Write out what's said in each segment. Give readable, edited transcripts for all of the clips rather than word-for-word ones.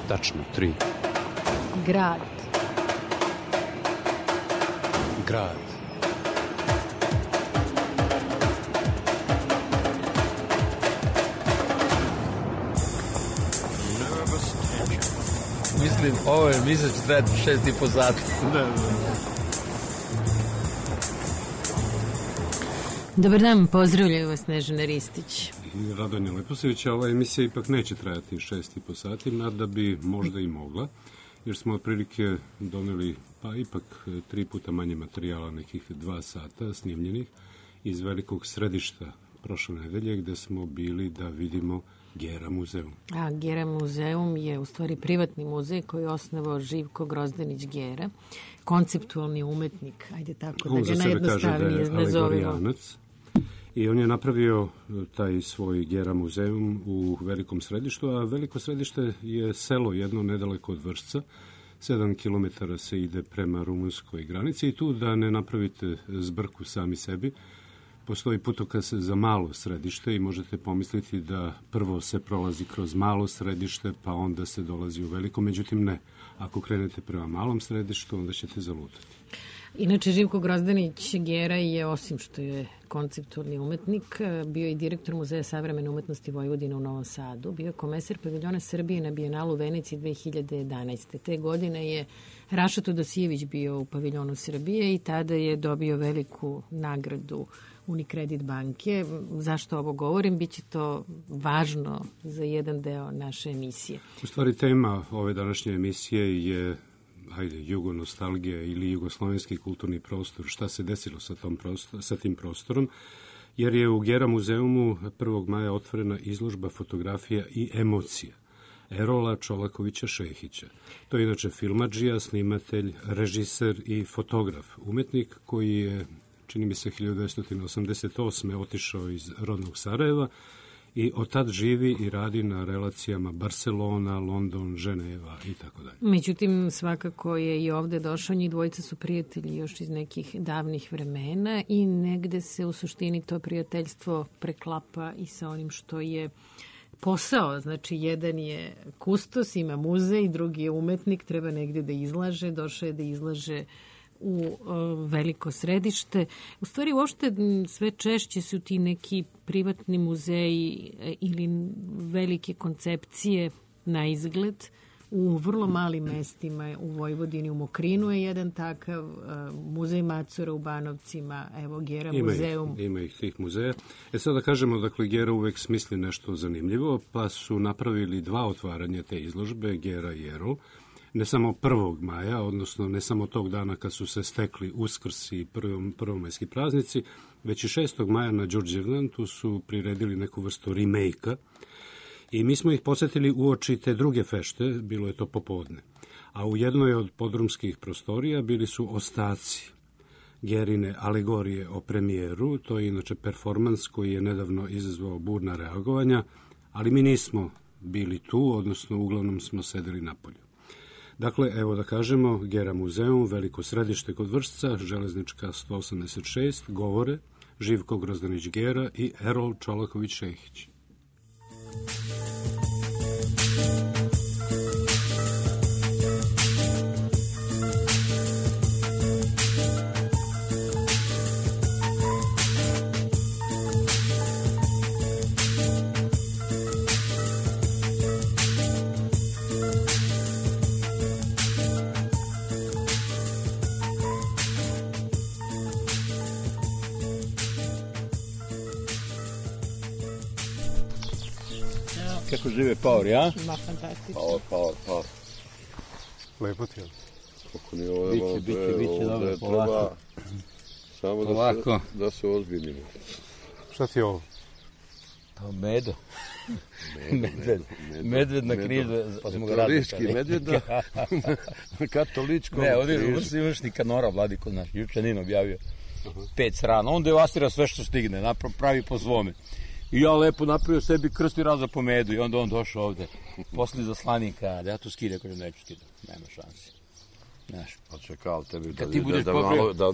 Tačno, 3. Grad. Grad. Mislim, ovo je misle će trajati 6,5 sati. Dobar dan, pozdravljaju vas Snežana Ristić. I Radonja Leposević, ova emisija ipak neće trajati 6,5 sati, nada bi možda i mogla, jer smo otprilike doneli, pa ipak 3 puta manje materijala, nekih 2 sata snimljenih iz Velikog Središta prošle nedelje, gde smo bili da vidimo Gera muzeum. A Gera muzeum je u stvari privatni muzej koji je osnovao Živko Grozdanić Gera, konceptualni umetnik, ajde tako da ga najjednostavnije nazovemo. I on je napravio taj svoj Gera muzeum u Velikom Središtu, a Veliko Središte je selo jedno nedaleko od Vršca. 7 kilometara se ide prema rumunskoj granici i tu da ne napravite zbrku sami sebi, postoji putokaz za malo središte i možete pomisliti da prvo se prolazi kroz malo središte, pa onda se dolazi u veliko, međutim ne. Ako krenete prema malom središtu, onda ćete zalutati. Inače, Živko Grozdanić Gera je, osim što je konceptualni umetnik, bio i direktor Muzeja savremene umetnosti Vojvodine u Novom Sadu, bio je komesar paviljona Srbije na Bijenalu u Veneciji 2011. Te godine je Raša Todosijević bio u paviljonu Srbije i tada je dobio veliku nagradu Unicredit banke. Zašto ovo govorim? Biće to važno za jedan deo naše emisije. U stvari, tema ove današnje emisije je jugonostalgija ili jugoslovenski kulturni prostor. Šta se desilo sa tim prostorom? Jer je u Gera muzeumu 1. maja otvorena izložba fotografija i emocija Erola Čolakovića Šehića. To je inače filmadžija, snimatelj, režiser i fotograf. Umetnik koji je, čini mi se, 1988. otišao iz rodnog Sarajeva i od tad živi i radi na relacijama Barcelona, London, Ženeva i tako dalje. Međutim, svakako je i ovde došao, njih dvojica su prijatelji još iz nekih davnih vremena i negde se u suštini to prijateljstvo preklapa i sa onim što je posao. Znači, jedan je kustos, ima muzej, drugi je umetnik, treba negde da izlaže, došao je da izlaže u Veliko Središte. U stvari, uopšte sve češće su ti neki privatni muzeji ili velike koncepcije na izgled u vrlo malim mestima u Vojvodini. U Mokrinu je jedan takav, muzej Macura u Banovcima, evo Gera muzeum. Ima ih tih muzeja. Sada da kažemo, dakle, Gera uvek smisli nešto zanimljivo, pa su napravili 2 otvaranja te izložbe, Gera i Erol. Ne samo 1. maja, odnosno ne samo tog dana kad su se stekli Uskrs i prvomajski praznici, već i 6. maja na Đurđevdan, tu su priredili neku vrstu remake-a i mi smo ih posetili uoči te druge fešte, bilo je to popodne. A u jednoj od podrumskih prostorija bili su ostaci Gerine alegorije o premijeru, to je inače performans koji je nedavno izazvao burna reagovanja, ali mi nismo bili tu, odnosno uglavnom smo sedeli napolju. Dakle, evo da kažemo, Gera muzeum, Veliko Središte kod Vršca, Železnička 186, govore Živko Grozdanić Gera i Erol Čolaković Šehić. Kako žive Paor, ja? Ma, fantastično. Paor. Lepo ti je. Kako ni ovo biće dobro, polako. Samo da se ozbiljimo. Šta ti je ovo? Pa medo. Medved na križu, pa smo ga radili. Katolički medved na katoličkom križu. Ne, ovdje imaš ni kanora, Vladiko, naš, juče Nino objavio 5 srana. On devastira sve što stigne, pravi po svome. I ja lepo napravio sebi krst i raza po medu i onda on došao ovde. Posle zaslanika, da ja tu skidam, kažem, neću skidam, nema šansi. Znaš. Pa čekao tebi da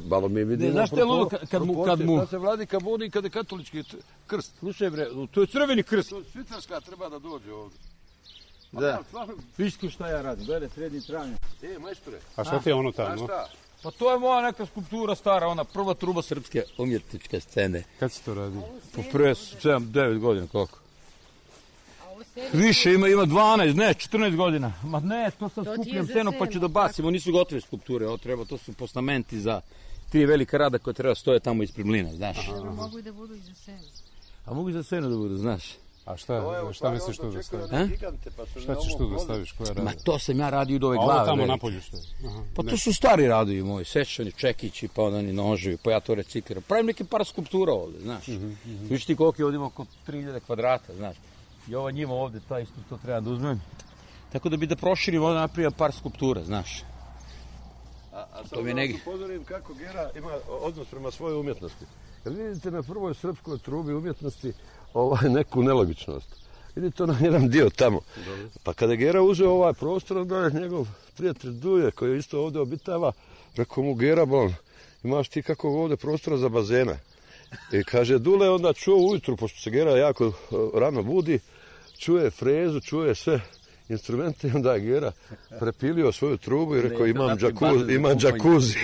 malo mi vidimo. Znaš te ludo kad mu... Da se Vladika buni kada je katolički krst. Slušaj bre, to je crveni krst. Švicarska treba da dođe ovde. Da. Viš šta ja radim, glede, srednji travnje. Majstore. A šta ti je ono tamo? Pa to je moja neka skulptura stara, ona prva truba srpske umjetničke scene. Kad si to radio? Po prve 7-9 godina, koliko? Više ima 12, ne, 14 godina. Ma ne, to sam skupljam scenu pa ću da bacimo, nisu gotove skulpture, to su postamenti za 3 velika rada koje treba stoje tamo ispred mlina, znaš. Mogu i da budu i za scenu. A mogu i za scenu da budu, znaš. A šta misliš tu da staviš? Šta ćeš tu da staviš? Koja rada? Ma to sam ja radio od ove glave. A ovo tamo napolju što je? Pa to su stari radovi moji, sečani, čekići, pa oni noževi, pa ja to recikliram. Pravim neki par skulptura ovde, znaš. Viš ti koliko je ovdje oko 3000 kvadrata, znaš. I ova njima ovde, ta isto to treba da uzmem. Tako da bi da proširim ovdje napravio par skulptura, znaš. A sad da vas upozorim kako Gera ima odnos prema svojoj umjetnosti. Kad vidite na prvoj srpskoj trubi umjetnosti neku nelogičnost. Vidite onaj jedan dio tamo. Pa kada je Gera uzeo ovaj prostor, onda je njegov prijatelj Duje, koji isto ovdje obitava, rekao mu Gera, imaš ti kakvog ovdje prostora za bazena. I kaže, Dule onda čuo ujutru, pošto se Gera jako rano budi, čuje frezu, čuje sve instrumente i onda je Gera prepilio svoju trubu i rekao, imam džakuzi.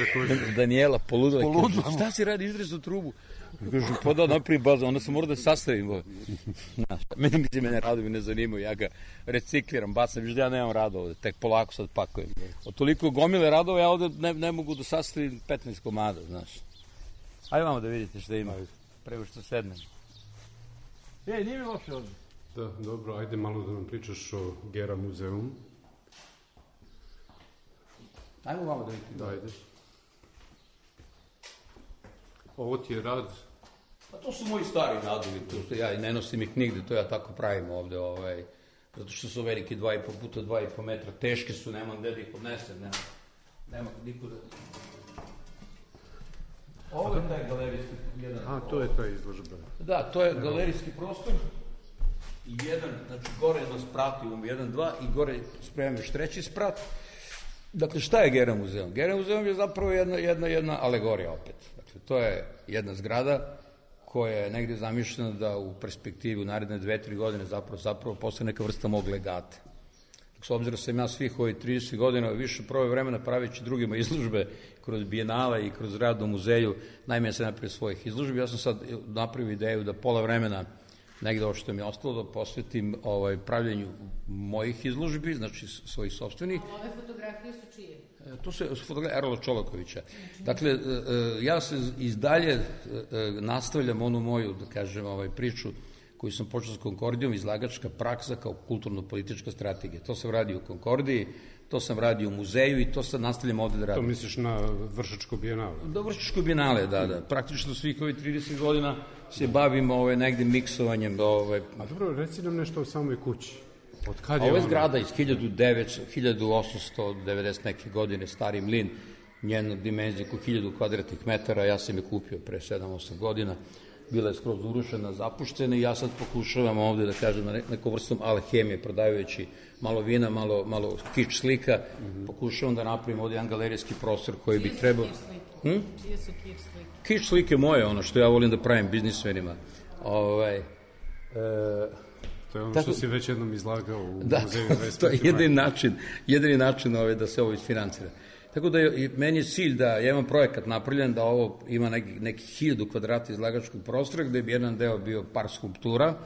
Daniela poludila. Šta si radi, izrezu trubu? Kažu, pa da napravim bazu, onda sam mora da sastavim. Mene radovi ne zanimaju, ja ga recikliram, bacam, viš da ja nemam rada ovde, tek polako sad pakujem. Od toliko gomile radova ja ovde ne mogu da sastavim 15 komada, znaš. Ajde vamo da vidite šta ima, prego što sednem. Nije mi loše ovde. Da, dobro, ajde malo da nam pričaš o Gera muzeum. Ajmo malo da vidite. Da, ajde. Ovo ti je rad? Pa to su moji stari radovi, to ja ne nosim ih nigde, to ja tako pravim ovde, zato što su veliki 2,5 puta 2,5 metra, teške su, nemam gde da ih odnesem, nema niko da... Ovo je taj galerijski... to je taj izložba. Da, to je galerijski prostor i jedan, znači gore jedno sprat, imamo 1, 2 i gore spremam još 3. sprat. Dakle, šta je Gera muzeum? Gera muzeum je zapravo jedna alegorija opet. Dakle, to je jedna zgrada koja je negde zamišljena da u perspektivi u naredne 2-3 godine zapravo postane neka vrsta mog legata. S obzirom sam ja svih ovih 30 godina više proveo vremena praveći drugima izložbe kroz bijenale i kroz rad u muzeju, najmanje sam napravio svojih izložbi. Ja sam sad napravio ideju da pola vremena negde ovo što mi je ostalo da posvetim pravljenju mojih izložbi, znači svojih sopstvenih. A ove fotografije su čije? To su fotografije Erola Čolakovića. Dakle, ja se izdalje nastavljam onu moju, da kažem, priču koju sam počeo s Konkordijom, izlagačka praksa kao kulturno-politička strategija. To sam radio u Konkordiji, to sam radio u muzeju i to sad nastavljam ovde da radim. To misliš na Vršačko bijenale? Da, Vršačko bijenale, da. Praktično svih ovih 30 godina se bavim negde miksovanjem. A dobro, reci nam nešto o samoj kući. Od kad je ovo je zgrada iz 1890 neke godine, stari mlin, njenu dimenziju oko 1000 kvadratnih metara, ja sam je kupio pre 7-8 godina. Bila je skroz urušena, zapuštena i ja sad pokušavam ovde da kažem nekom vrstom alhemije, prodajući malo vina, malo kič slika, pokušavam da napravim ovde jedan galerijski prostor koji bi trebao... Čije su kič slike? Kič slike moje, ono što ja volim da pravim biznismenima. To je ono što si već jednom izlagao u muzeju. Da, to je jedini način da se ovo isfinancira. Tako da meni je cilj da ja imam projekat napravljen da ovo ima neki 1000 kvadrata izlagačkog prostora gde bi jedan deo bio par skulptura,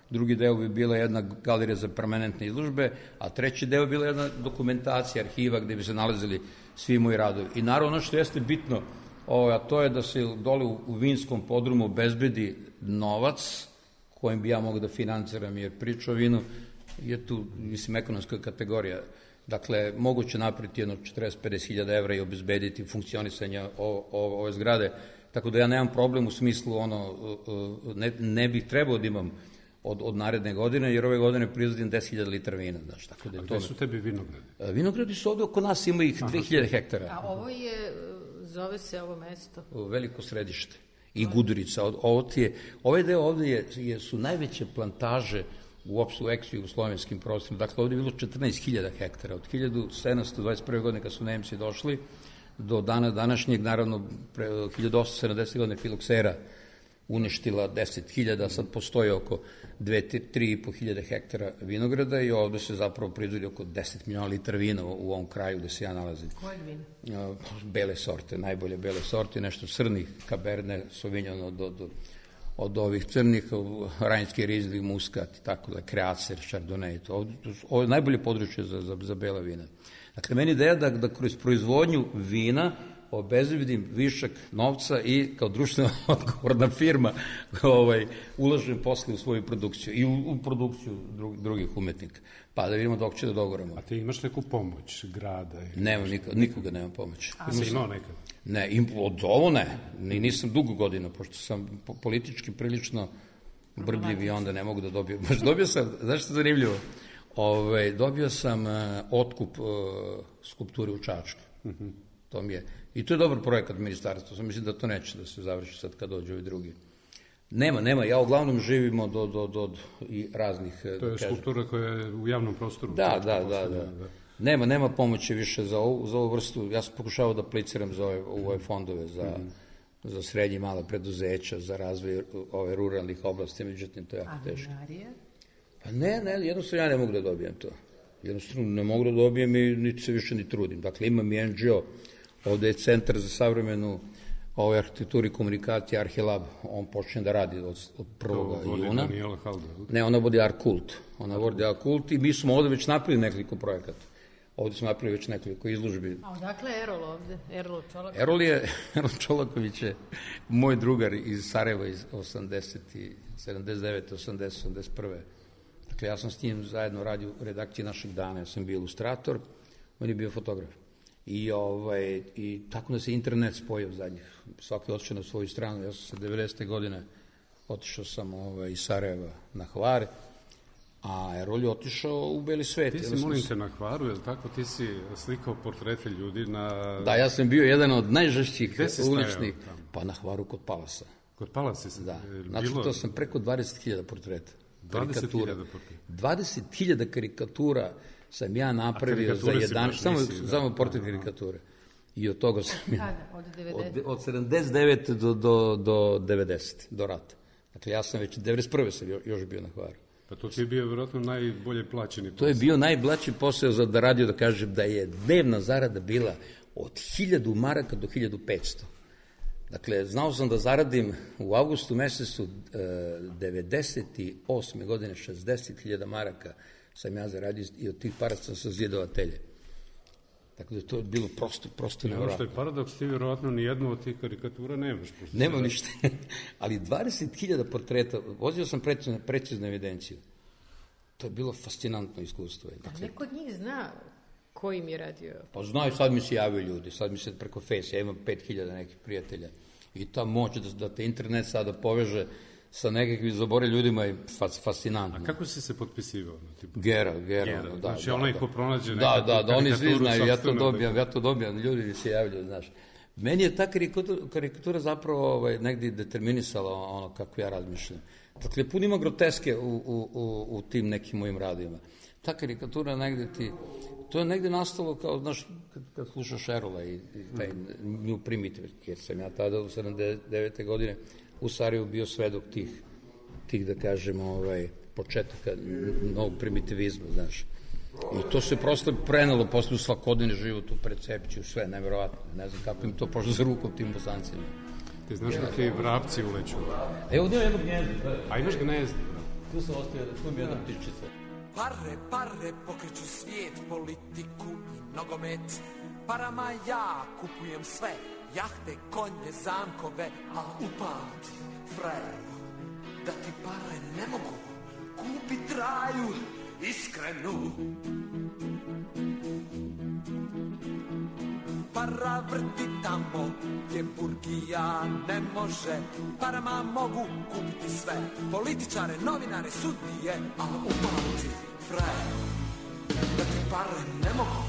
drugi deo bi bila jedna galerija za permanentne izložbe, a treći deo bi bila jedna dokumentacija, arhiva gde bi se nalazili svi moji radovi. I naravno ono što jeste bitno, a to je da se dole u vinskom podrumu obezbedi novac kojim bi ja mogao da financiram, jer priča o vinu je tu, mislim, ekonomska kategorija. Dakle, moguće napraviti jedno 40-50 hiljada evra i obezbediti funkcionisanje ove zgrade. Tako da ja nemam problem u smislu, ne bih trebao da imam od naredne godine, jer ove godine proizvodim 10.000 litara vina. Znaš, tako da a gde su tebi vinogradi? Vinogradi su ovde oko nas, ima ih 2000 hektara. A ovo zove se ovo mesto? Veliko Središte i Gudurica. Ovaj deo ovde su najveće plantaže uopšte u ex-jugoslovenskim prostorima. Dakle, ovde je bilo 14.000 hektara. Od 1721. godine kad su Nemci došli do dana današnjeg, naravno, 1870. godine filoksera uništila 10.000, sad postoji oko 3.500 hektara vinograda i ovde se zapravo proizvodi oko 10 miliona litara vina u ovom kraju gde se ja nalazim. Kojeg vina? Bele sorte, najbolje bele sorte, nešto crnih, Cabernet Sauvignon od ovih crnih, Rajnski Rizli, Muskat, tako da, Kreacer, Chardonnay, ovo je najbolje područje za bela vina. Dakle, meni ideja da kroz proizvodnju vina obezbedim višak novca i kao društveno odgovorna firma ulažem posle u svoju produkciju i u produkciju drugih umetnika. Pa da vidimo dok će da dogovorimo. A ti imaš neku pomoć grada? Nemam, nikoga nemam pomoć. Si imao nekad? Ne, od ovo ne. Nisam dugo godina, pošto sam politički prilično brbljiv i onda ne mogu da dobijem. Baš dobio sam, znaš što je zanimljivo? Dobio sam otkup skulpture u Čačku. To mi je. I to je dobar projekat ministarstva. Mislim da to neće da se završi sad kad dođe ovi drugi. Nema. Ja uglavnom živimo do i raznih... To je skulptura koja je u javnom prostoru. Da. Nema pomoći više za ovu vrstu. Ja sam pokušao da apliciram za ove fondove, za srednje i mala preduzeća, za razvoj ove ruralnih oblasti, međutim to je jako teško. A vinarija? Pa ne, jednostavno ja ne mogu da dobijem to. Jednostavno ne mogu da dobijem i niti se više ni trudim. Dakle, imam i NGO, ovde je Centar za savremenu arhitekturu i komunikacije, Arhilab, on počne da radi od 1. juna. Daniela Halda. Ne, ona vodi Arkult. Ona vodi Arkult i mi smo ovde već napravili nekoliko projekata. Ovde smo napravili već nekoliko izložbi. A odakle je Erol ovde? Erol Čolaković? Erol Čolaković je moj drugar iz Sarajeva iz 79. 80. 81. Dakle, ja sam s njim zajedno radio u redakciji Našeg dana. Ja sam bio ilustrator, on je bio fotograf. I tako da se internet spojio zadnjih. Svaki otišao na svoju stranu. Ja sam se 90. godine otišao sam iz Sarajeva na Hvar, a Erol je otišao u beli svet. Ti si, molim te, na Hvaru, je li tako? Ti si slikao portrete ljudi na... Da, ja sam bio jedan od najžešćih uličnih. Pa na Hvaru kod Palasa. Kod Palasa si? Da. Nacrtao sam preko 20.000 portreta. 20.000 portreta? 20.000 karikatura sam ja napravio za 11... Samo portret karikature. I od toga sam... Od 90? Od 79. do 90. do rata. Dakle, ja sam već 91. sam još bio na Hvaru. Pa to ti je bio vjerojatno najbolje plaćeni posao. To je bio najplaćen posao za da radio, da kažem da je dnevna zarada bila od 1000 maraka do 1500. Dakle, znao sam da zaradim u avgustu mesecu 98. godine 60.000 maraka sam ja zaradio i od tih para sam sazidao atelje. Tako da to je bilo prosto nevjerojatno. Ono što je paradoks, ti vjerojatno nijednu od tih karikatura nemaš. Nemam ništa, ali 20.000 portreta, vozio sam preciznu evidenciju. To je bilo fascinantno iskustvo. Da neko od njih zna ko im je radio? Pa znaju, sad mi se javaju ljudi, sad mi se preko Face, ja imam 5.000 nekih prijatelja. I ta moć da te internet sada poveže sa nekakvim zabore ljudima je fascinantno. A kako si se potpisivao? Gera. Da, znači onaj ko pronađe nekakvu karikaturu. Da, oni svi znaju, ja to dobijam, ljudi mi se javljaju, znaš. Meni je ta karikatura zapravo negdje determinisala ono kako ja razmišljam. Dakle, puno ima groteske u tim nekim mojim radima. Ta karikatura negdje to je negdje nastalo kao, znaš, kad slušaš Erola i taj New Primitive, jer sam ja tada u 79. godine u Sarajevu bio svedok tih da kažem, početaka novog primitivizma, znaš. I to se prosto prenelo posle u svakodnevni život, u percepciju, sve, nevjerovatno. Ne znam kako im to pošlo za rukom tim Bosancima. Ti znaš kakvi vrapci uleću? Evo, ovdje je jedno gnjezdo. A imaš gnjezdo? Tu sam ostavio, tu mi je jedna ptičica. Pare pokreću svijet, politiku i nogomet. Parama ja kupujem sve, jahte, konje, zamkove, a upamti, frajeru, da ti pare ne mogu kupit raju iskrenu. Para vrti tamo gdje burgija ne može, parama mogu kupiti sve, političare, novinare, sudije, a upamti, frajeru, da ti pare ne mogu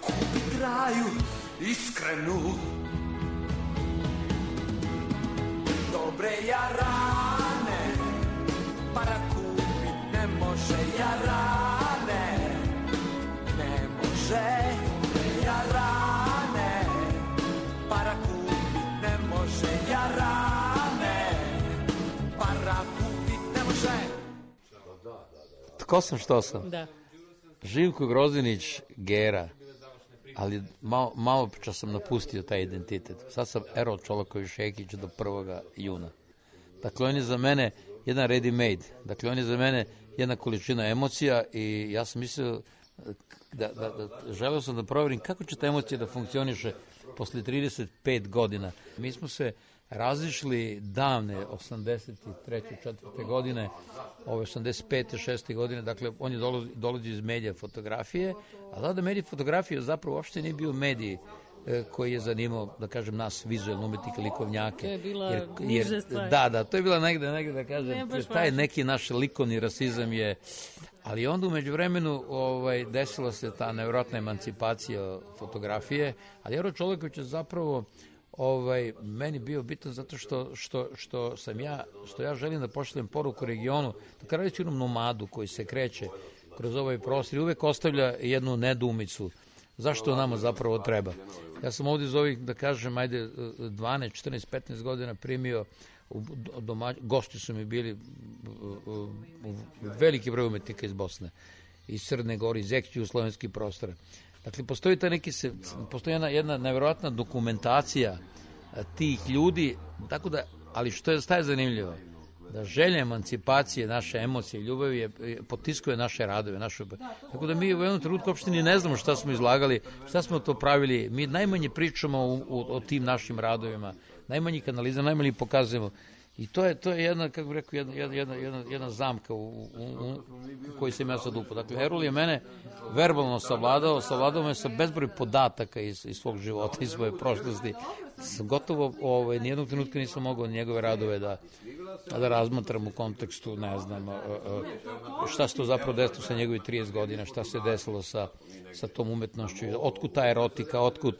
kupit raju iskrenu. Dobre jarane, para kupit ne može jarane, ne može. Dobre jarane, para kupit ne može jarane, ko sam, što sam? Da. Živko Grozinić, Gera, ali malo čas sam napustio taj identitet. Sad sam Erol Čolaković-Šehić do 1. juna. Dakle, on je za mene jedan ready made. Dakle, on je za mene jedna količina emocija i ja sam mislio da želeo sam da proverim kako će ta emocija da funkcioniše posle 35 godina. Mi smo se razišli davne 83. 4. godine, ove 85. 6. godine, dakle on je dolazi iz medija fotografije, a da medij fotografije zapravo uopšte nije bio medij koji je zanimao, da kažem, nas vizualno umetnike, likovnjake. To je bila niža stvar. Da, to je bila negde da kažem, taj neki naš likovni rasizam je, ali onda umeđu vremenu desila se ta nevjerojatna emancipacija fotografije, ali Erol Čolaković je zapravo meni bio bitan zato što ja želim da pošaljem poruku regionu, da kada reći onom nomadu koji se kreće kroz ovaj prostor i uvek ostavlja jednu nedoumicu zašto nama zapravo treba. Ja sam ovdje iz ovih, da kažem, 12, 14, 15 godina primio, gosti su mi bili veliki broj umetnika iz Bosne, iz Crne Gore, iz ex-jugoslovenskih prostora. Dakle, postoji jedna nevjerojatna dokumentacija tih ljudi, tako da, ali što je zanimljivo, da želja emancipacije, naše emocije, ljubavi potiskuje naše radove. Tako da mi u jednom trenutku uopšte ni ne znamo šta smo izlagali, šta smo to pravili. Mi najmanje pričamo o tim našim radovima, najmanje kanalizam, najmanje pokazujemo. I to je jedna, kako bih rekao, jedna zamka u kojoj sam ja sad upao. Dakle, Erol je mene verbalno savladao me sa bezbroj podataka iz svog života, iz svoje prošlosti. Gotovo nijednog trenutka nisam mogao njegove radove da razmatram u kontekstu, ne znam, šta se to zapravo desilo sa njegovih 30 godina, šta se desilo sa tom umetnošću, otkud ta erotika, otkud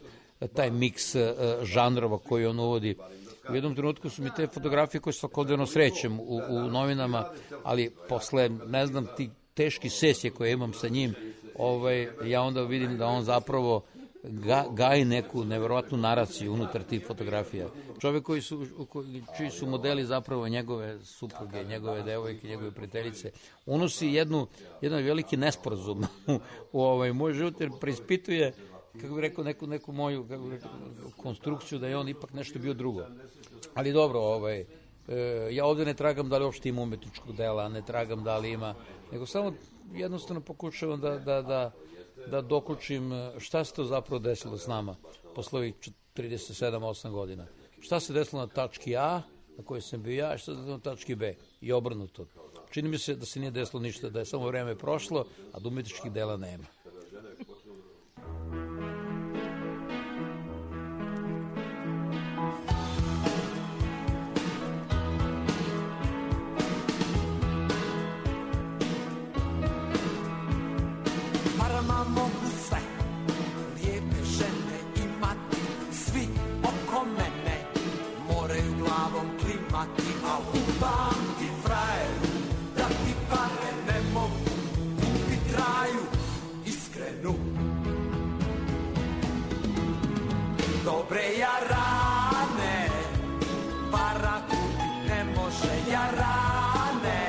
taj miks žanrova koji on uvodi. U jednom trenutku su mi te fotografije koje svakodnevno srećem u novinama, ali posle, ne znam, ti teški sesije koje imam sa njim, ja onda vidim da on zapravo gaji neku neverovatnu naraciju unutar tih fotografija. Čovjek čiji su modeli zapravo njegove supruge, njegove devojke, njegove prijateljice, unosi jedan veliki nesporazum u moj život, jer preispituje, kako bih rekao, neku moju konstrukciju da je on ipak nešto bio drugo. Ali dobro, ja ovdje ne tragam da li uopšte ima umetničkog dela, ne tragam da li ima, nego samo jednostavno pokušavam da dokučim šta se to zapravo desilo s nama posle ovih 37-8 godina. Šta se desilo na tački A, na kojoj sam bio ja, šta se desilo na tački B i obrnuto. Čini mi se da se nije desilo ništa, da je samo vreme prošlo, a da umetničkih dela nema. Mogu sve lijepe žene imati, svi oko mene moraju glavom klimati, a upamti frajeru da ti pare ne mogu kupit raju iskrenu. Dobre jarane para kupit ne može, jarane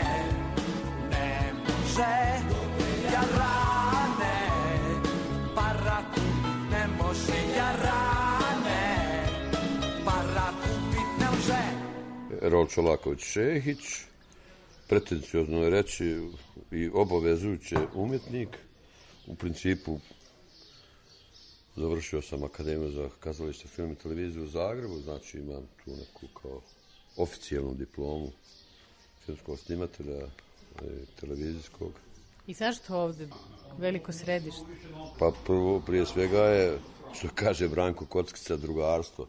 ne može, jarane Erol Čolaković-Šehić, pretenciozno je reći i obavezujuće umjetnik. U principu završio sam Akademiju za kazalište, film i televiziju u Zagrebu, znači imam tu neku kao oficijalnu diplomu filmskog snimatelja televizijskog. I zašto ovde veliko središte? Pa prije svega je, što kaže Branko Kockica, drugarstvo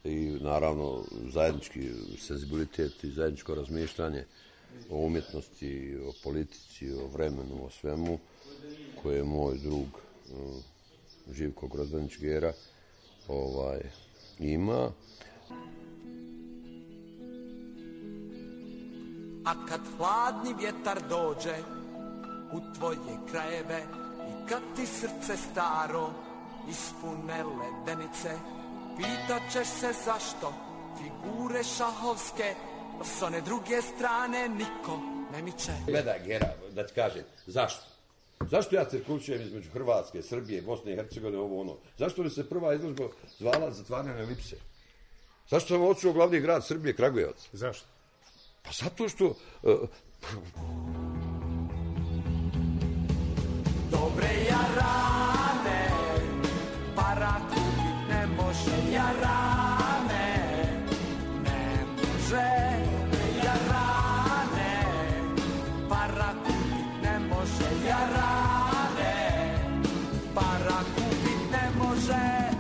i naravno zajednički senzibilitet i zajedničko razmišljanje o umjetnosti, o politici, o vremenu, o svemu koje je moj drug Živko Grozinić Gera ima. A kad hladni vjetar dođe u tvoje krajeve i kad ti srce staro ispune ledenice, pitat ćeš se zašto figure šahovske s one druge strane niko ne miče. Gledaj, Gera, da ti kažem, zašto? Zašto ja cirkulišujem između Hrvatske, Srbije, Bosne i Hercegovine, ovo ono? Zašto li se prva izložba zvala Zatvaranje elipse? Zašto sam otišao u glavni grad Srbije, Kragujevac? Zašto? Pa zato što... Dobre jarane, para kupit ne može jarane, ne može. Dobre jarane, para kupit ne može jarane, para kupit ne može.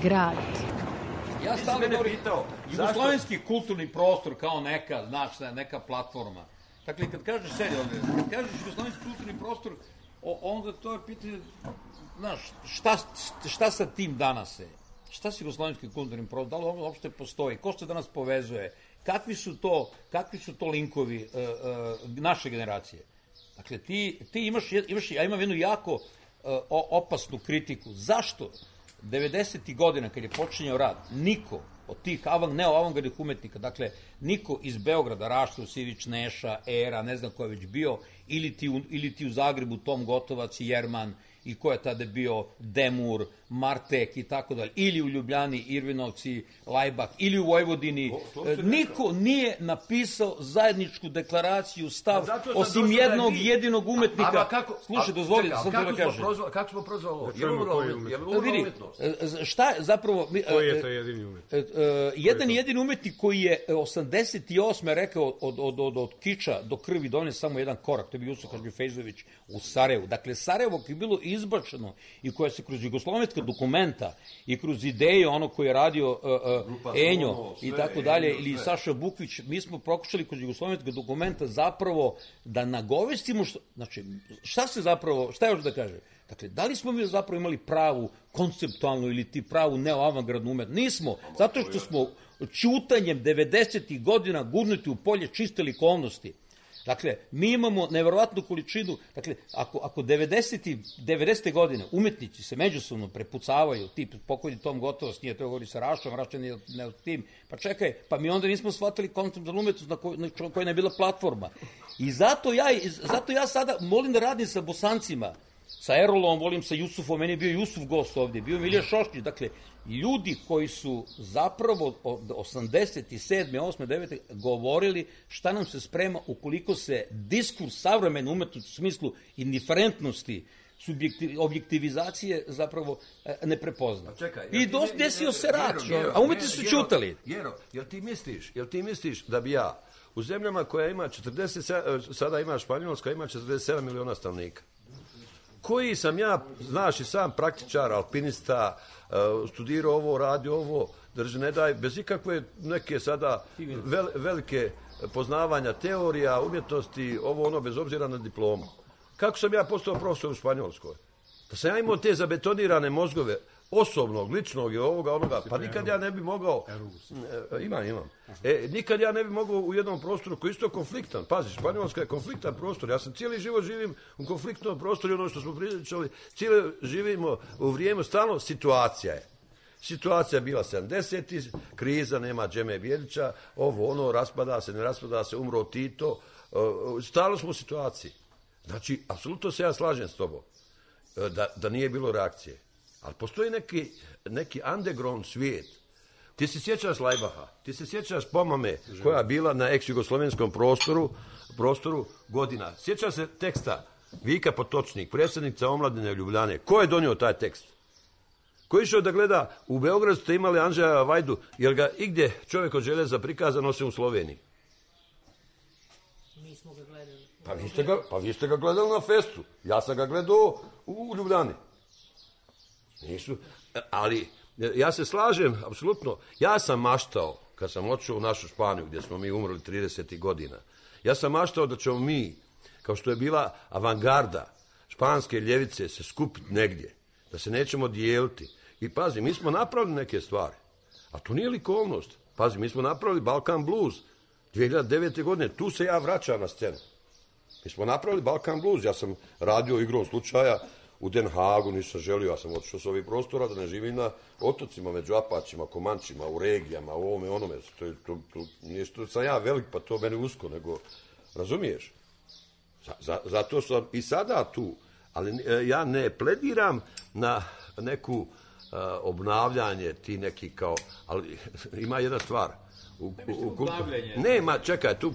Grad. Ja stalno govorim, jugoslovenski kulturni prostor kao neka, znaš, neka platforma. Dakle, kad kažeš kad kažeš jugoslovenski kulturni prostor, onda to je pitanje, znaš, šta sa tim danas je? Šta se jugoslovenski kulturni prostor, da li on uopšte postoji? Ko se danas povezuje? Kakvi su to linkovi naše generacije? Dakle, ti imaš, ja imam jednu jako opasnu kritiku. Zašto 90. godina, kad je počinjao rad, niko od tih neoavangardnih umetnika, dakle, niko iz Beograda, Rašta, Sivić, Neša, Era, ne znam ko je već bio, ili ti u Zagrebu Tom Gotovac i Jerman, i ko je tada bio Demur, Martek i tako dalje, ili u Ljubljani, Irvinovci, Lajbak, ili u Vojvodini, niko nije napisao zajedničku deklaraciju, stav, osim jednog jedinog umetnika. Slušaj, dozvoli, sam to da kažem. Kako smo prozvali ovo? Je li umetnost? Šta je zapravo... Koji je to jedini umetnik? Jedan jedini umetnik koji je 88. rekao od kiča do krvi donio samo jedan korak, to je bio Jusuf Hadžifejzović u Sarajevu. Dakle, Sarajevo koji je bilo izbačeno i koja se kroz jugoslovenska dokumenta i kroz ideje ono koje je radio Enjo i tako dalje, ili Saša Bukvić, mi smo pokušali kroz jugoslovenska dokumenta zapravo da nagovestimo, znači, šta još da kaže? Dakle, da li smo mi zapravo imali pravu konceptualnu ili ti pravu neoavangardnu umetnost? Nismo, zato što smo ćutanjem 90. godina gurnuti u polje čiste likovnosti. Dakle, mi imamo neverovatnu količinu, dakle, ako 90. godine umetnici se međusobno prepucavaju, tip pokojni Tom Gotovac, nije to govori sa Rašom, Raša nije ne tim, pa čekaj, pa mi onda nismo shvatili konceptualnu umetnost na kojoj je bila platforma. I zato ja sada molim da radim sa Bosancima, sa Erolom, volim sa Jusufom, meni je bio Jusuf gost ovdje, bio Milija Šoškić, dakle, ljudi koji su zapravo od 87. 8. 9. govorili šta nam se sprema ukoliko se diskurs savremene umetnosti u smislu indiferentnosti, objektivizacije zapravo ne prepozna. I desio se rat, a umetnici su ćutali. Jero, jel ti misliš da bi ja u zemljama koja ima 40, sada ima Španjolska, ima 47 miliona stanovnika, koji sam ja, znaš i sam praktičar, alpinista, studirao ovo, radio ovo, drži ne daj, bez ikakve neke sada velike poznavanja teorija, umjetnosti, ovo ono, bez obzira na diplomu. Kako sam ja postao profesor u Španjolskoj? Da sam ja imao te zabetonirane mozgove, osobnog, ličnog i onoga, pa nikad ja ne bi mogao... Imam. Nikad ja ne bi mogao u jednom prostoru koji je isto konfliktan. Pazi, Španjolska je konfliktan prostor. Ja sam cijeli život živim u konfliktnom prostoru i ono što smo pričali, cijeli živimo u vrijeme, stalno situacija je. Situacija je bila 70. Kriza, nema Džeme Bjelića, ovo ono, raspada se, ne raspada se, umro Tito. Stalno smo u situaciji. Znači, apsolutno se ja slažem s tobom da nije bilo reakcije. Ali postoji neki underground svijet. Ti se sjećaš Lajbaha, ti se sjećaš Pomame koja je bila na ex-jugoslovenskom prostoru godina. Sjećaš se teksta Vika Potočnik, predsjednica omladine Ljubljane. Ko je donio taj tekst? Ko je išao da gleda, u Beogradu ste imali Anđeja Vajdu, jer ga igdje čovjek od željeza prikazan osim u Sloveniji? Mi smo ga gledali. Pa vi ste ga gledali na festu. Ja sam ga gledao u Ljubljani. Nisu, ali ja se slažem, apsolutno. Ja sam maštao, kad sam otišao u našu Španiju, gdje smo mi umrli 30. godina, ja sam maštao da ćemo mi, kao što je bila avangarda španske ljevice, se skupiti negdje, da se nećemo dijeliti. I pazi, mi smo napravili neke stvari, a to nije likovnost. Pazi, mi smo napravili Balkan Blues 2009. godine, tu se ja vraćam na scenu. Mi smo napravili Balkan Blues, ja sam radio igrom slučaja u Den Haagu, nisam želio, ja sam otišao s ovih prostora da ne živim na otocima, među Apačima, Komančima, u regijama, u ovome, onome. To nije što sam ja velik, pa to meni usko, nego, razumiješ? Zato sam i sada tu, ali ja ne plediram na neku obnavljanje, ti neki kao, ali ima jedna stvar. Nema, čekaj, tu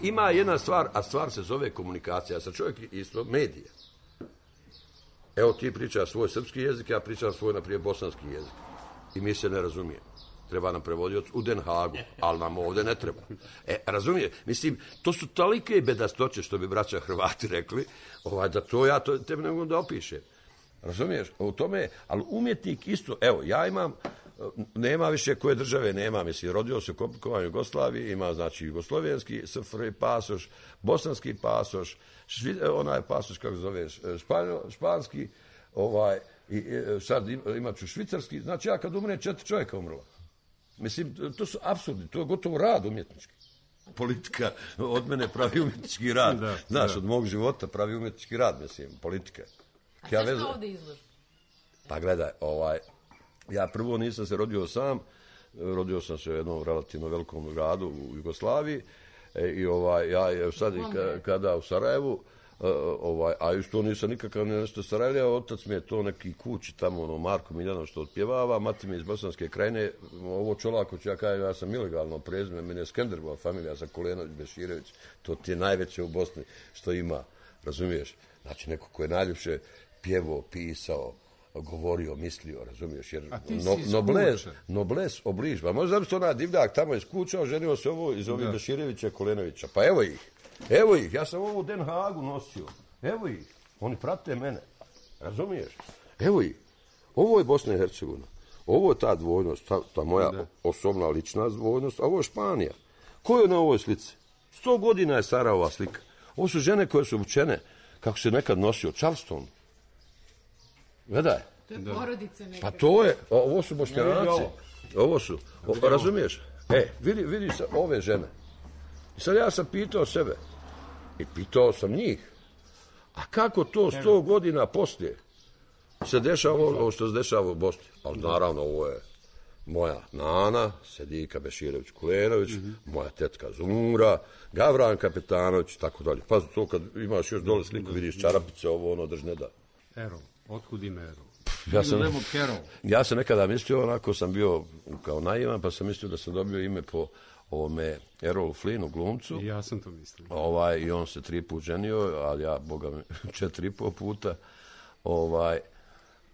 ima jedna stvar, a stvar se zove komunikacija. Ja sam čovjek isto medija. Evo ti pričaš svoj srpski jezik, ja pričam svoj, naprijed, bosanski jezik. I mi se ne razumijemo. Treba nam prevodioc u Den Haagu, ali nam ovdje ne treba. Razumije? Mislim, to su tolike bedastoće, što bi braća Hrvati rekli, da to ja tebe ne mogu da opišem. Razumiješ? U tome, ali umjetnik isto, evo, ja imam, nema više koje države nema, mislim, rodio se u komplikovanju Jugoslaviji, ima, znači, jugoslovenski SFRJ pasoš, bosanski pasoš, onaj pasoš, kako zoveš, španski, i sad imat ću švicarski, znači ja kad umre 4 čovjeka umrla. Mislim, to su apsurdi, to je gotovo rad umjetnički. Politika od mene pravi umjetnički rad. Znaš, od mog života pravi umjetnički rad, mislim, politika. A sve što ovdje izloži? Pa gledaj, ja prvo nisam se rodio sam, rodio sam se u jednom relativno velikom gradu u Jugoslaviji i ja sad kada u Sarajevu, a isto nisam nikakav nešto Sarajlija, otac mi je to neki kući tamo, Marko Miljanov što otpjevava, mati mi iz Bosanske krajine, ovo Čolaković, ja sam ilegalno prezime, meni je Skenderbova familija, ja sam Kulenović, Beširević, to ti je najveće u Bosni što ima, razumiješ? Znači neko ko je najljepše pjevao, pisao, govorio, mislio, razumiješ, jer nobles obliž, pa možda bi to onaj divljak tamo iz kuća, oženio se ovo iz ovih Beširevića, Kulenovića, pa evo ih, ja sam ovo u Den Haagu nosio, evo ih, oni prate mene, razumiješ, evo ih, ovo je Bosna i Hercegovina, ovo je ta dvojnost, ta moja osobna lična dvojnost, a ovo je Španija, ko je na ovoj slici? 100 godina je stara ova slika, ovo su žene koje su obučene, kako se nekad nosio, Charleston, gledaj. To je porodice neka. Pa to je, ovo su Bošnjanaci, ovo su, razumiješ, vidi se ove žene. I sad ja sam pitao sebe, i pitao sam njih, a kako to 100 godina poslije se dešava ovo što se dešava u Bosni? Ali naravno ovo je moja nana, Sedika Beširević-Kulenović, moja tetka Zumura, Gavran Kapetanović, tako dalje. Pa to kad imaš još dole sliku, vidiš čarapice, ovo, drž ne da. Erol, otkud ime Erol? Ja sam nekada mislio, onako sam bio kao naivan, pa sam mislio da sam dobio ime po ovome Errolu Flynnu, glumcu. I ja sam to mislio. I on se 3 puta ženio, ali ja, boga mi, 4,5 puta.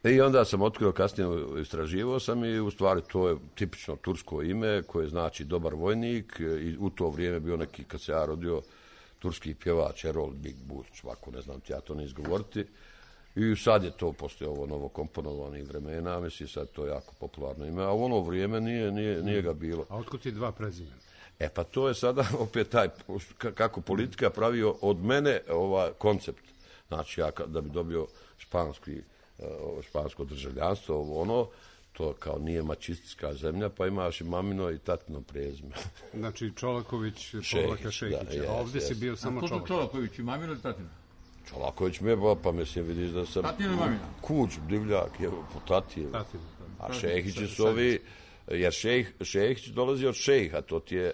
I onda sam otkrio, kasnije istraživao sam i u stvari to je tipično tursko ime koje znači dobar vojnik i u to vrijeme bio neki, kad se ja rodio, turski pjevač Erol Big Burč, ovako ne znam ti ja to ne izgovoriti. I sad je to poslije ovo novokomponovanih vremena, mislim sad to je jako popularno ime, a u ono vrijeme nije ga bilo. A otkud ti 2 prezimena? Pa to je sada opet taj, kako politika pravio od mene koncept. Znači ja da bi dobio špansko državljanstvo, to kao nije mačistička zemlja, pa imaš i mamino i tatino prezime. Znači Čolaković, Povlaka Šehića, a ovdje si bio samo Čolaković. A ko to Čolaković i mamino ili tatino? Čolaković me pa mislim, vidiš da sam kuć, divljak, po tatinu. A Šehići su ovi, jer Šehić dolazi od šejha, to ti je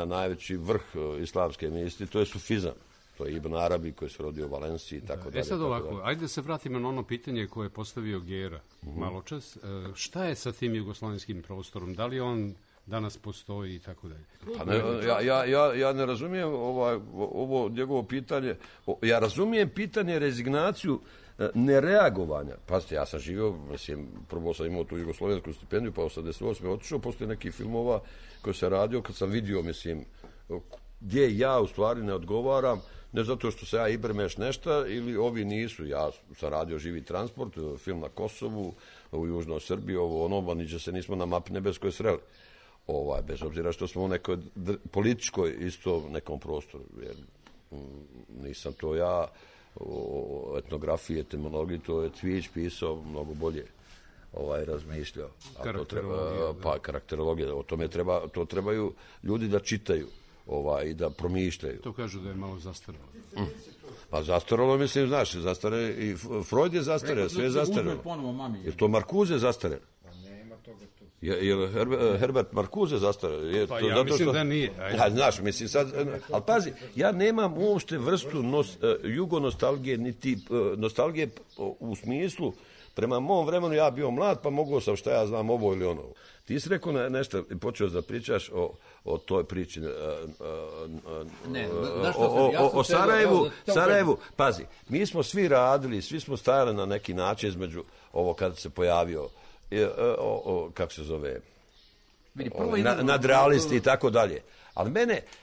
najveći vrh islamske misli, to je sufizam. To je Ibn Arabi koji se rodio u Valenciji i tako dalje. Sad ovako, ajde da se vratimo na ono pitanje koje je postavio Gera maločas. Šta je sa tim jugoslavenskim prostorom? Da li on danas postoji i tako dalje? Ja ne razumijem ovo njegovo pitanje. Ja razumijem pitanje rezignaciju nereagovanja. Pazite, ja sam živio, mislim, prvo sam imao tu jugoslovensku stipendiju, pa 88. otišao, poslije nekih filmova koje se radio, kad sam vidio, mislim, gdje ja u stvari ne odgovaram, ne zato što se ja ibrmeš nešto ili ovi nisu. Ja sam radio Živi transport, film na Kosovu, u Južnoj Srbiji, niđe se nismo na mapi nebeskoj sreli. Bez obzira što smo u nekoj političkoj isto nekom prostoru, jer nisam to ja o etnografiji, etimologiji, to je Cvijić pisao mnogo bolje razmišljao. Karakterologija, o tome to trebaju ljudi da čitaju i da promišljaju. To kažu da je malo zastaralo. Pa zastaralo, mislim, znaš, zastare, i Freud je zastareo, sve je zastarelo. Je to Marcuse zastarelo? Pa nema toga tu. Je Herbert Marcuse zastarelo? Pa ja mislim da nije. Znaš, mislim sad, ali pazi, ja nemam uopšte vrstu jugonostalgije, niti nostalgije u smislu, prema mom vremenu ja bio mlad, pa mogao sam šta ja znam ovo ili ono. Ti si rekao nešto i počeo da pričaš o toj priči o Sarajevu. Pazi, mi smo svi radili, svi smo stajali na neki način između ovo kada se pojavio kako se zove nadrealisti i tako dalje. Ali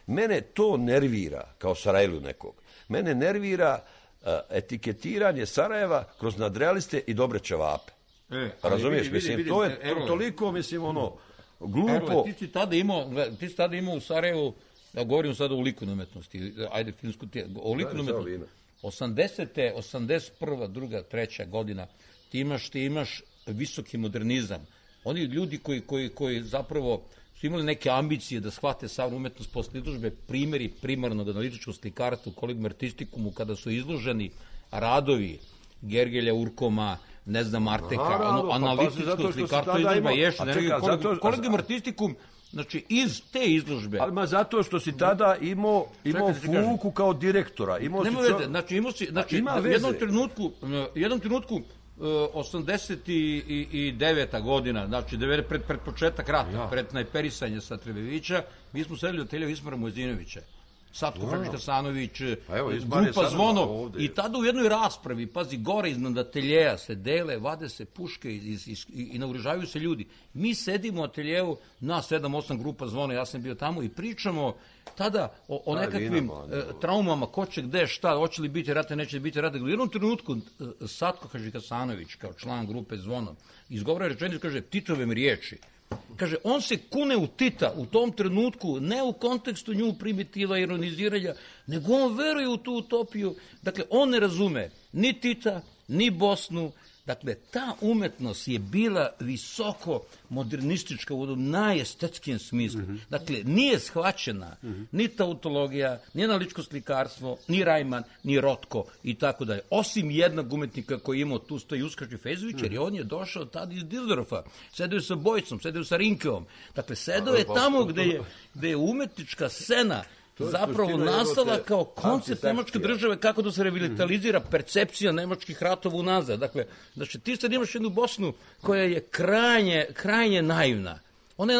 mene to nervira kao Sarajlu nekog. Mene nervira etiketiranje Sarajeva kroz nadrealiste i dobre ćevape. Razumiješ? Mislim, to je toliko, mislim, glupo. Ti si tada imao u Sarajevu, ja govorim sada o likovnoj umetnosti, ajde filmsku, o likovnoj umetnosti. 80. 81. 2. 3. godina ti imaš visoki modernizam. Oni ljudi koji zapravo su imali neke ambicije da shvate savremenu umetnost posle izložbe, primjeri primarnog analitičkog slikarstva u Collegium Artisticum, kada su izloženi radovi Gergelja, Urkoma, ne znam, Arteka, analitičkog slikarstva izložba ješi. Collegium Artisticum, znači iz te izložbe. Ali zato što si tada imao Fuku kao direktora. Znači, u jednom trenutku 89. godina, znači pred početak rata, pred najperisanje sa Trebevića, mi smo sedeli od Telja Ismara Mojzinovića, Satko Hadžić-Hasanović, grupa Zvono, i tada u jednoj raspravi, pazi, gore iznad ateljeja se dele, vade se puške i naoružavaju se ljudi. Mi sedimo u ateljeju, nas 7-8 grupa Zvono, ja sam bio tamo i pričamo tada o nekakvim traumama, ko će gde, šta, hoće li biti rata, neće li biti rata. U jednom trenutku Satko Hadžić-Hasanović, kao član grupe Zvono, izgovara rečenicu, kaže, Titove mi riječi. Kaže, on se kune u Tita u tom trenutku, ne u kontekstu nju primitiva, ironiziranja, nego on veruje u tu utopiju. Dakle, on ne razume ni Tita, ni Bosnu. Dakle, ta umetnost je bila visoko modernistička u onom najestetskim smislu. Dakle, nije shvaćena ni tautologija, ni analitičko slikarstvo, ni Rajman, ni Rotko i tako dalje. Osim jednog umetnika koji je imao tu stoji Uskaš Fezović, jer on je došao tada iz Dizdorfa. Sedeo je sa Bojcom, sedeo je sa Rinkeom. Dakle, sedeo je tamo gde je umetnička scena zapravo nastala kao koncept nemačke države, kako da se revitalizira percepcija nemačkih ratova unazad. Dakle, znači ti sad imaš jednu Bosnu koja je krajnje naivna. Ona je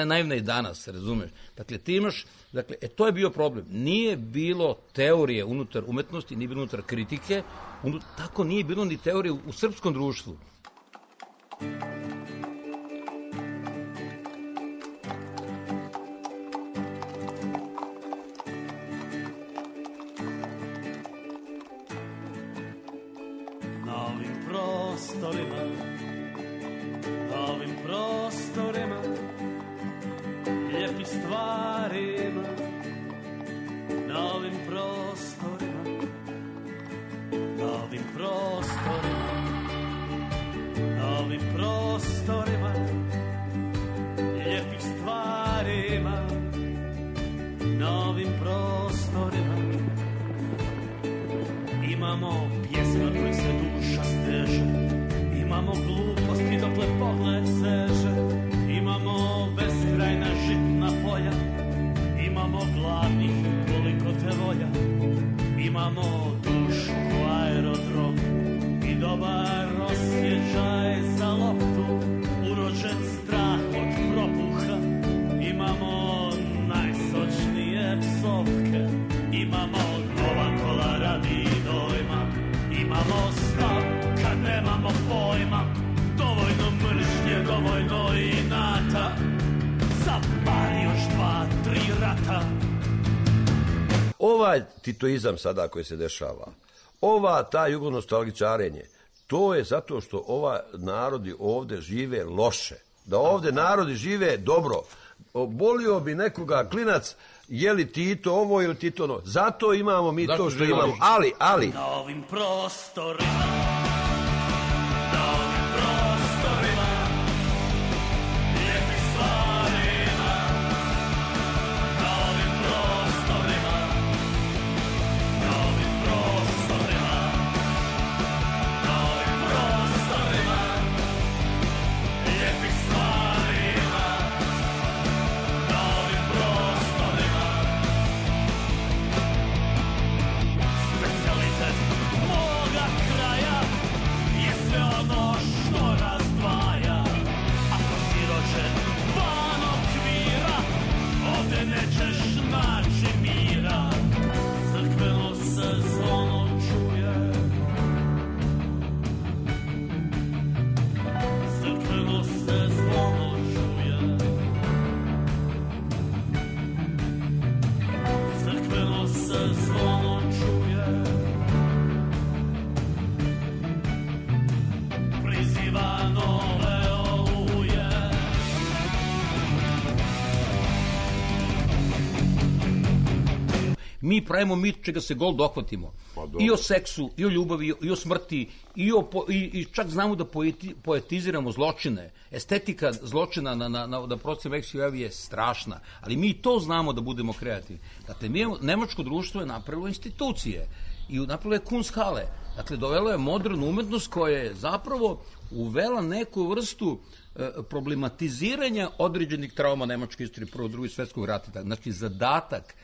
naivna i danas, razumeš? Dakle, ti imaš, to je bio problem. Nije bilo teorije unutar umetnosti, nije bilo unutar kritike, tako nije bilo ni teorije u srpskom društvu. Na ovim prostorima lijepih stvarima, na ovim prostorima, na ovim prostorima, na ovim prostorima lijepih stvarima, na ovim prostorima imamo pjesma koji se duša steže, imamo gluposti dokle pogled seže, imamo beskrajna žitna polja, imamo gladnih koliko te volja, imamo dušu ko aerodrom i dobar osjećaj za loptu, urođen strah od propuha, imamo najsočnije psovke, imamo nova kola radi dojma, imamo stav kad nemamo pojma, dovoljno mržnje, dovoljno inata, za bar još 2-3 rata. ovaj titoizam sada koji se dešava, ta jugonostalgičarenje, to je zato što ova narodi ovde žive loše. Da ovde narodi žive dobro. Bolio bi nekoga klinac, je li Tito ovo ili Tito ono. Zato imamo mi to što imamo. Ali... Na ovim prostorima, lijepih stvarima, na ovim prostorima, lijepih stvarima, na ovim prostorima. Specijalitet moga kraja je sve ono što razdvaja. Ako si rođen van okvira, ovde nećeš naći mira. Crkveno se zvono čuje, crkveno se zvono čuje, crkveno se zvono čuje, priziva nove oluje. Mi pravimo mit čega se gol dohvatimo. I o seksu, i o ljubavi, i o smrti, i čak znamo da poetiziramo zločine. Estetika zločina na procenu Veksiju je strašna, ali mi to znamo da budemo kreativni. Dakle, nemačko društvo je napravilo institucije i napravilo je Kunsthalle. Dakle, dovelo je modernu umetnost koja je zapravo uvela neku vrstu problematiziranja određenih trauma nemačke istorije Prvog i Drugog svjetskog rata. Znači, zadatak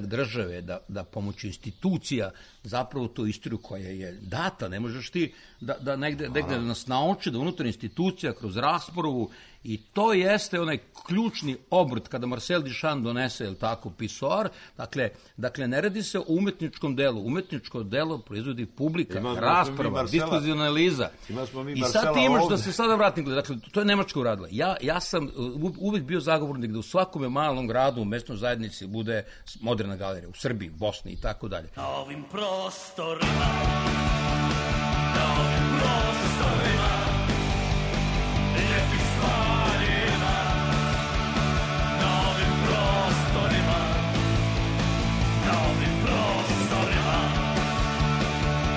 države da pomoću institucija zapravo tu istoriju koja je data, ne možeš ti da negde nas nauči da unutar institucija kroz raspravu, i to jeste onaj ključni obrt kada Marcel Duchamp donese, je li tako, pisoar. Dakle, ne radi se o umetničkom delu. Umetničko delo proizvodi publika, rasprava, diskurzivna analiza. I sad ti imaš, da se sada vratim, dakle, to je Nemačka uradila. Ja sam uvek bio zagovornik da u svakome malom gradu, u mesnoj zajednici bude moderna galerija, u Srbiji, Bosni i tako dalje. Na ovim prostorima, na ovim prostorima, lijepih stvarima, na ovim prostorima, na ovim prostorima,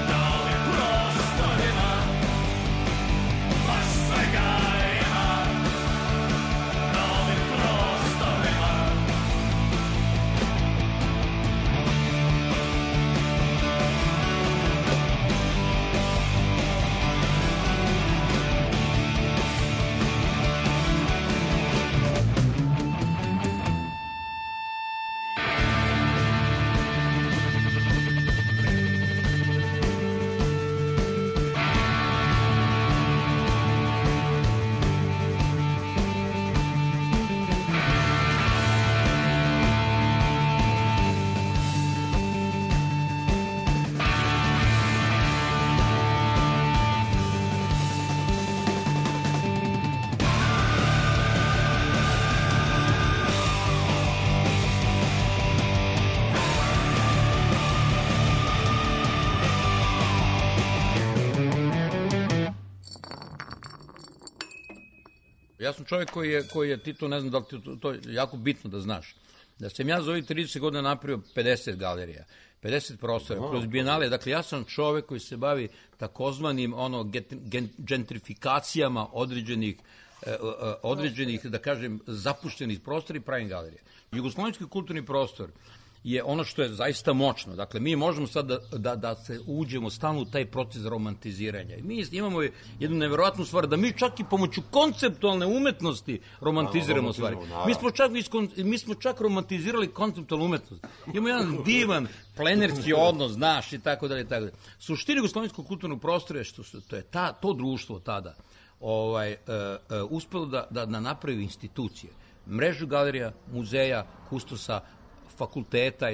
na ovim prostorima, baš svega ima, na ovim prostorima. Ja sam čovjek koji je Tito, ne znam da li ti to je jako bitno da znaš, da sam ja za ovih 30 godina napravio 50 galerija, 50 prostora, kroz bijenale. Dakle, ja sam čovjek koji se bavi takozvanim gentrifikacijama određenih, da kažem, zapuštenih prostora i pravim galerije. Jugoslovenski kulturni prostor je ono što je zaista moćno. Dakle, mi možemo sad da se uđemo stalno u taj proces romantiziranja. I mi imamo jednu neverovatnu stvar, da mi čak i pomoću konceptualne umetnosti romantiziramo stvari. Mi smo čak romantizirali konceptualnu umetnost. Imamo jedan divan plenerski odnos, znaš, i tako dalje, i tako dalje. Suština jugoslovenskog kulturnog prostora je što to je to društvo tada uspelo da napravi institucije. Mrežu galerija, muzeja, kustosa, fakulteta.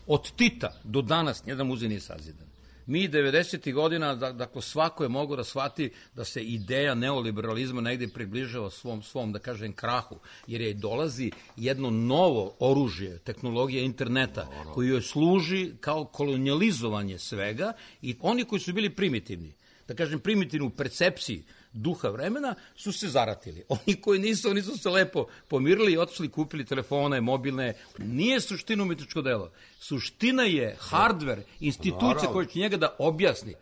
Od Tita do danas nijedan muzej nije sazidan. Mi 90. godina, dakle, svako je mogao da shvati da se ideja neoliberalizma negde približava svom, da kažem, krahu, jer je dolazi jedno novo oružje, tehnologija interneta, koji joj služi kao kolonijalizovanje svega i oni koji su bili primitivni, da kažem, primitivni u percepciji duha vremena, su se zaratili. Oni koji nisu se lepo pomirili i otišli, kupili telefone, mobilne. Nije suština umetničko delo. Suština je hardver, institucija koja će njega da objasni.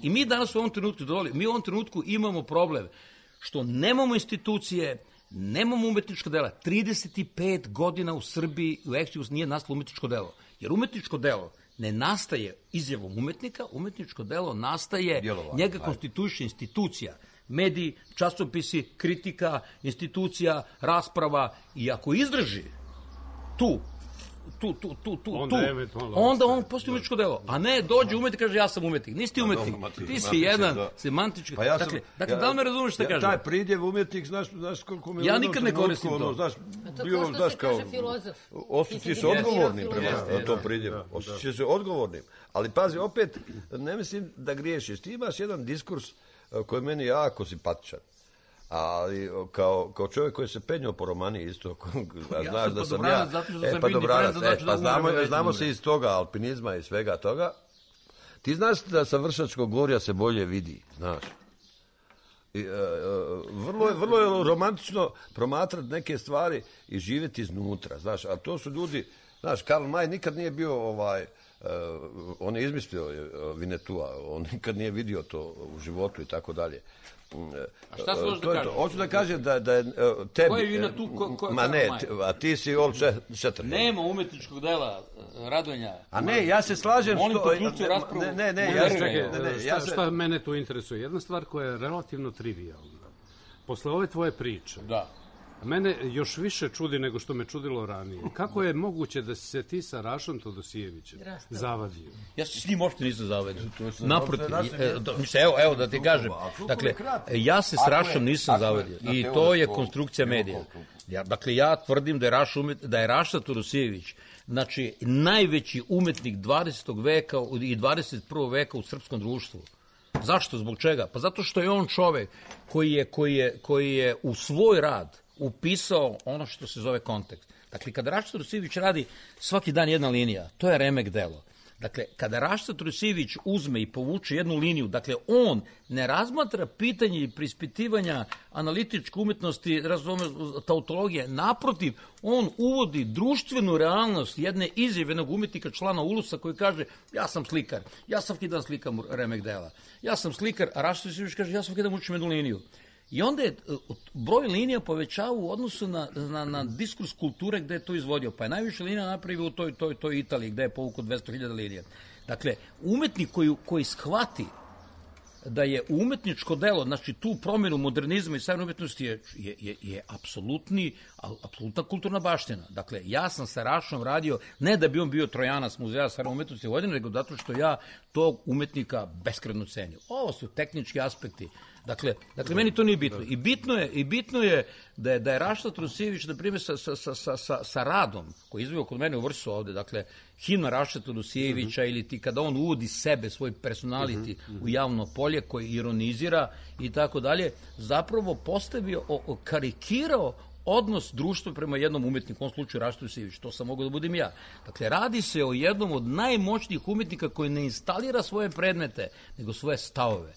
Mi danas u ovom trenutku, mi u ovom trenutku imamo problem što nemamo institucije, nemamo umetničko dela. 35 godina u Srbiji u Eksijus nije nastalo umetničko delo. Jer umetničko delo ne nastaje izjavom umetnika, umetničko delo nastaje, njega konstituiše institucija, mediji, časopisi, kritika, institucija, rasprava i ako izdrži onda on postoji umetničko delo, a ne dođe umetnik i kaže ja sam umetnik. Nisi ti umetnik, ti si jedan semantički. Dakle, da li me razumeš šta kažem? Taj pridjev umetnik, znaš koliko mi je... Ja nikad ne koristim to. To kao što se kaže filozof. Osjećaš se odgovornim prema tom pridjevu. Osjećaš se odgovornim. Ali pazi, opet, ne mislim da griješiš. Ti imaš jedan diskurs koji je meni jako simpatičan. Ali kao čovjek koji se penjao po romani isto, znaš da sam ja... Znamo se iz toga alpinizma i svega toga. Ti znaš da sa Vršačkog gorja se bolje vidi, znaš. Vrlo je romantično promatrati neke stvari i živjeti iznutra, znaš. A to su ljudi, znaš, Karl May nikad nije bio on je izmislio Vinetua, on nikad nije vidio to u životu i tako dalje. A šta se hoće da kaže? Hoću da kažem da je tebi... Ko je Vinetu? Ma ne, a ti si Old Shatterhand. Nema umetničkog dela, Radonja. A ne, ja se slažem... Molim poključiti raspravu. Šta mene tu interesuje? Jedna stvar koja je relativno trivijalna. Posle ove tvoje priče... Da. Mene još više čudi nego što me čudilo ranije. Kako je moguće da si se ti sa Rašom Todosijevićem zavadio? Ja se s njim uopšte nisam zavadio. Naprotiv, evo da ti kažem. Dakle, ja se s Rašom nisam zavadio. I to je konstrukcija medija. Dakle, ja tvrdim da je Raša Todosijević, znači, najveći umetnik 20. veka i 21. veka u srpskom društvu. Zašto? Zbog čega? Pa zato što je on čovek koji je u svoj rad upisao ono što se zove kontekst. Dakle, kada Raša Todosijević radi svaki dan jedna linija, to je remek delo. Dakle, kada Raša Todosijević uzme i povuče jednu liniju, dakle, on ne razmatra pitanje i prispitivanja analitičke umetnosti, tautologije, naprotiv, on uvodi društvenu realnost jedne izjave jednog umetnika, člana Ulusa, koji kaže, ja sam slikar, ja svaki dan slikam remek dela, ja sam slikar, a Raša Todosijević kaže, ja svaki dan učim jednu liniju. I onda je broj linija povećao u odnosu na diskurs kulture gde je to izvodio. Pa je najviše linija napravio u toj Italiji gde je povukao 200.000 linija. Dakle, umetnik koji shvati da je umetničko delo, znači tu promjenu modernizma i savremenoj umetnosti je apsolutna kulturna baština. Dakle, ja sam sa Rašom radio, ne da bi on bio Trojanac muzeja savremene umetnosti Vojvodine, nego zato što ja tog umetnika beskrajno cenim. Ovo su tehnički aspekti. Dakle, meni to nije bitno. I bitno je da je Raša Todosijević, na primjer, sa radom, koji je izveo kod mene u Vrsu ovde, dakle, himna Raša Todosijevića ili ti kada on uvodi sebe, svoj personality u javno polje, koji ironizira i tako dalje, zapravo postavio, karikirao odnos društva prema jednom umetniku, u ovom slučaju Raša Todosijević, to sam mogao da budem ja. Dakle, radi se o jednom od najmoćnijih umetnika koji ne instalira svoje predmete, nego svoje stavove.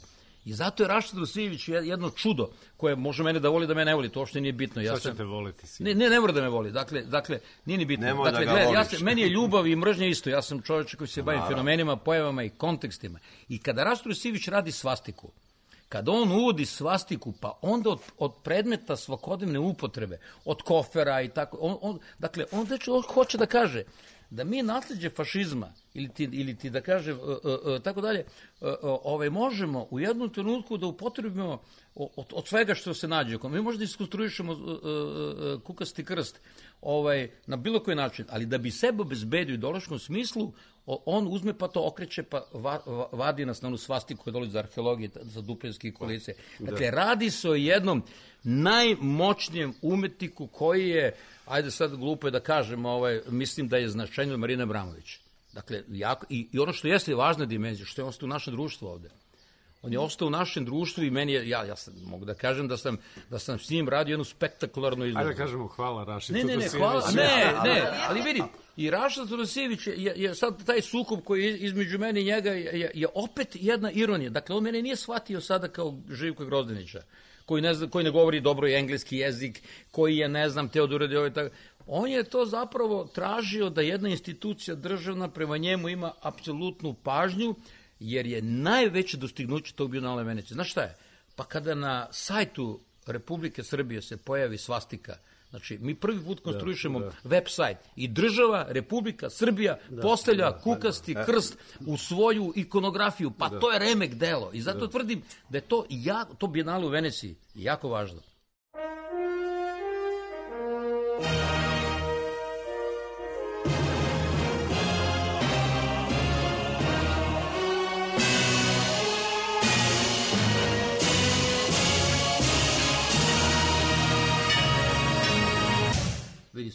I zato je Raša Todosijević jedno čudo koje može mene da voli, da me ne voli, to uopšte nije bitno. Sad ćete voliti si. Ne mora da me voli, dakle nije ni bitno. Dakle, meni je ljubav i mržnja isto, ja sam čovjek koji se bavi fenomenima, pojavama i kontekstima. I kada Raša Todosijević radi svastiku, kada on uvodi svastiku, pa onda od predmeta svakodnevne upotrebe, od kofera i tako, on hoće da kaže da mi nasleđe fašizma ili ti da kažem tako dalje, možemo u jednom trenutku da upotrebimo od svega što se nađe. Mi možda iskonstruišemo kukasti krst na bilo koji način, ali da bi sebe obezbedio u ideološkom smislu, on uzme pa to okreće, pa vadi nas na onu svastiku koja dolazi za arheologije, za dupljanske kolice. Dakle, radi se o jednom najmoćnijem umetniku koji je, ajde sad glupo je da kažem, mislim da je značajniji od Marine Abramović. Dakle, i ono što jeste važna dimenzija, što je ostao u našem društvu ovde. On je ostao u našem društvu i meni je, ja mogu da kažem da sam s njim radio jednu spektakularnu izložbu. Ajde da kažemo hvala Raši ali vidi, i Raša Todosijević je sad taj sukob koji je između mene i njega je opet jedna ironija. Dakle, on mene nije shvatio sada kao Živka Grozdanića, koji ne govori dobro engleski jezik, koji je, ne znam, Teodora ovaj tako. On je to zapravo tražio da jedna institucija državna prema njemu ima apsolutnu pažnju, jer je najveće dostignuće tog Bienala Venecije. Znaš šta je? Pa kada na sajtu Republike Srbije se pojavi svastika, znači mi prvi put konstruišemo web sajt i država Republika Srbija postavlja kukasti krst u svoju ikonografiju, pa to je remek delo. I zato tvrdim da je to Bienale u Veneciji jako važno.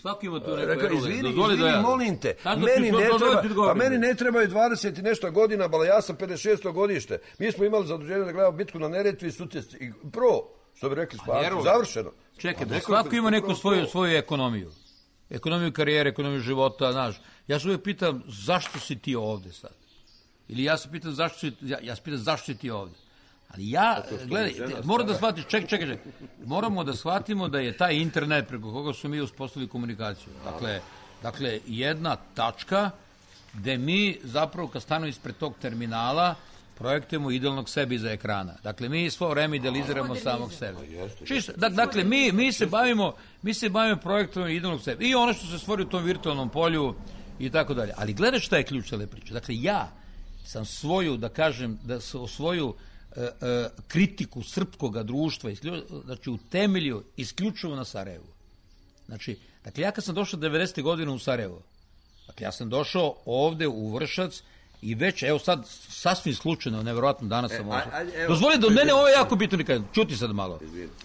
Svaki ima tu neko izvini, molim te, meni ne trebaju 20 i nešto godina, bala ja sam 56. godište. Mi smo imali zaduženje da gledamo bitku na Neretvi, što bi rekli Sparci, završeno. Čekaj, svako ima neku svoju ekonomiju. Ekonomiju karijere, ekonomiju života, znaš. Ja se uvijek pitam zašto si ti ovde sad? Ili ja se pitam zašto si ti ovde? Ali gledaj, moram da shvatiš, čekaj, moramo da shvatimo da je taj internet preko koga su mi uspostavili komunikaciju. Dakle, jedna tačka gde mi zapravo kad stanu ispred tog terminala projektujemo idealnog sebe iza ekrana. Dakle, mi svo vreme idealiziramo samog sebe. Dakle, mi se bavimo projektovanjem idealnog sebe. I ono što se stvori u tom virtualnom polju i tako dalje. Ali gledaj šta je ključ cele priče. Dakle, ja sam svoju kritiku srpskog društva utemeljio isključivo na Sarajevu. Dakle, ja kad sam došao 90. godine u Sarajevo, dakle, ja sam došao ovde u Vršac i već, evo sad, sasvim slučajno, nevjerojatno danas sam ovdje. Dozvoli da mene ovo je jako bitno nikad. Čuti sad malo.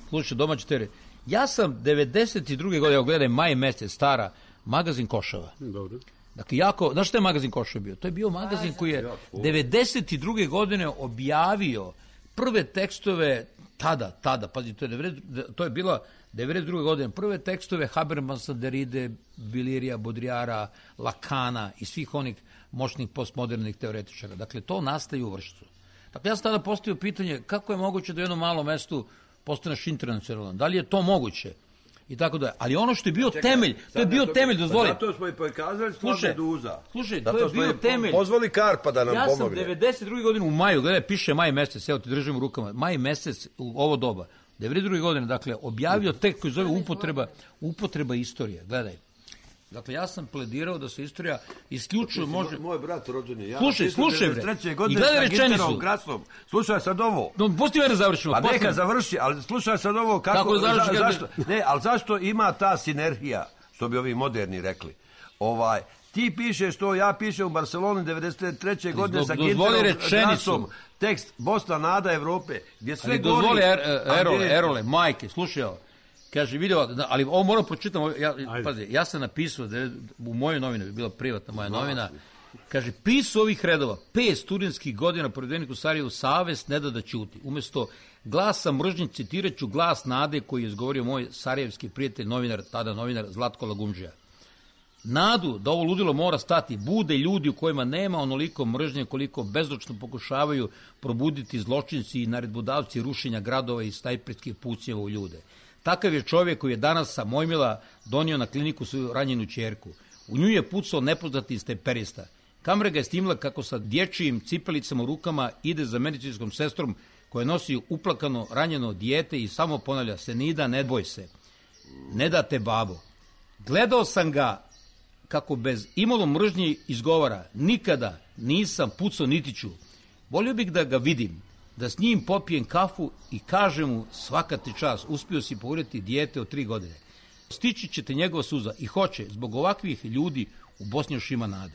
Slušaj, domaći teren. Ja sam 92. godine, evo gledaj, maj mesec, stara, magazin Košava. Dobro. Dakle, znaš šta je magazin Košava bio? To je bio magazin koji je 92. godine objavio prve tekstove tada, pazi, to je bilo 92. godine, prve tekstove Habermasa, Derride, Vilirija, Bodrijara, Lakana i svih onih moćnih postmodernih teoretičara. Dakle, to nastaje u Vršcu. Dakle, ja sam tada postavio pitanje kako je moguće da u jednom malom mestu postaneš internacionalan. Da li je to moguće? I tako da. Ali ono što je bio temelj, to je bio temelj, dozvoli. Zato smo i pokazali stvar Meduza. Slušaj, to je bio temelj. Pozvali Karpa da nam pomogne. Ja sam 92. godine u maju, gledaj, piše maj mesec, evo ti držim u rukama, maj mesec u ovo doba, 92. godine, dakle, objavio tekst koji zove upotreba istorije, gledaj. Dakle, ja sam pledirao da se istorija isključivo može... Moj brat rođen je. Slušaj bre. I gledaj rečenicu. Slušaj sad ovo. Pusti me da završimo. Pa neka završi, ali slušaj sad ovo kako... Zašto? Ne, ali zašto ima ta sinergija, što bi ovi moderni rekli? Ti pišeš to, ja pišem u Barceloni 93. godine sa Ginterom glasom, tekst Bosna, nada Evrope, gdje sve gori... Dozvoli, Erole, majke, slušaj ovo. Kaže, video, ali ovo moram pročitam, ja sam napisao, u mojoj novini, bila privatna moja novina, kaže, pisao ovih redova, 5 studentskih godina provedenih u Sarajevu, savest ne da ćuti. Umesto glasa mržnje, citiraću glas nade koji je izgovorio moj sarajevski prijatelj, tada novinar Zlatko Lagumdžija. Nadu da ovo ludilo mora stati, bude ljudi u kojima nema onoliko mržnje koliko bezočno pokušavaju probuditi zločinci i naredbodavci rušenja gradova i snajperskih pucnjeva u ljude. Takav je čovjek koji je danas sa Mojmila donio na kliniku svoju ranjenu ćerku. U nju je pucao nepoznati stemperista. Kamera ga je snimila kako sa dječjim cipelicama u rukama ide za medicinskom sestrom koja nosi uplakano ranjeno dijete i samo ponavlja Senida, ne boj se. Ne da te babo. Gledao sam ga kako bez imalo mržnje izgovara. Nikada nisam pucao niti ću. Volio bih da ga vidim. Da s njim popijem kafu i kažem mu svaka ti čast, uspio si poureti dijete od 3 godine. Stići ćete njegova suza i hoće, zbog ovakvih ljudi u Bosni još ima nade.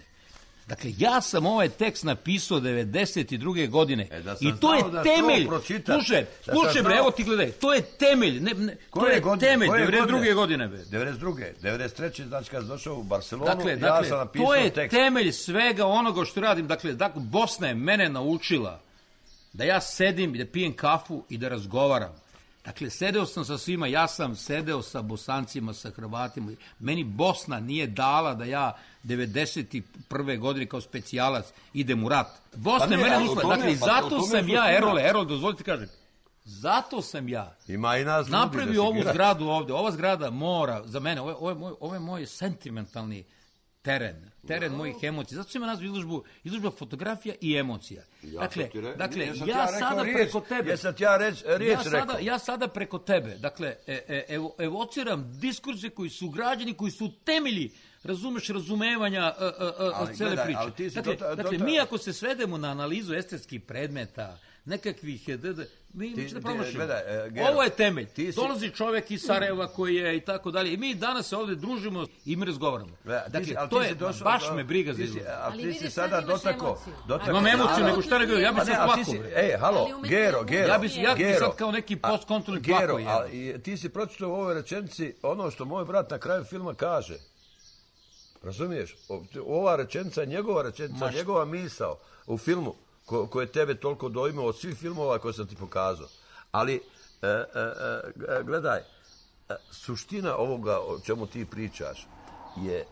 Dakle, ja sam ovaj tekst napisao 92. godine i to je temelj. Slušaj bre, evo ti gledaj, to je temelj. To je temelj 92. godine. 93. znači kad sam došao u Barcelonu, dakle, ja sam napisao to je tekst. Temelj svega onoga što radim. Dakle, Bosna je mene naučila da ja sedim i da pijem kafu i da razgovaram. Dakle, sedeo sam sa svima, ja sam sedeo sa Bosancima, sa Hrvatima. Meni Bosna nije dala da ja 91. godine kao specijalac idem u rat. Bosna je mene naučila. Dakle, zato sam ja, Erole, dozvolite kažem, zato sam ja napravio ovu zgradu ovde. Ova zgrada mora, za mene, ovo je moj sentimentalni teren mojih emocija. Zato sam ja nazvao izložba fotografija i emocija. Dakle, ja sada preko tebe... Ja sada preko tebe, dakle, evociram diskurse koji su građani, koji su temelji, razumeš, razumevanja cele priče. Dakle, mi ako se svedemo na analizu estetskih predmeta, nekakvih... Mi ćemo da promašimo. Ovo je temelj. Dolazi čovek iz Sarajeva koji je i tako dalje. I mi danas se ovde družimo i mi razgovaramo. Dakle, to je, baš me briga za izgled. Ali ti si sada dotakao. Imam emociju, nego šta nego, ja bi se plakao. Halo, Gero. Ja bi sad kao neki postkontrolni plakao. Ti si pročitao u ovoj rečenici ono što moj brat na kraju filma kaže. Razumiješ? Ova rečenica, njegova misao u filmu koje tebe toliko dojmao od svih filmova koje sam ti pokazao. Ali, gledaj, suština ovoga o čemu ti pričaš je,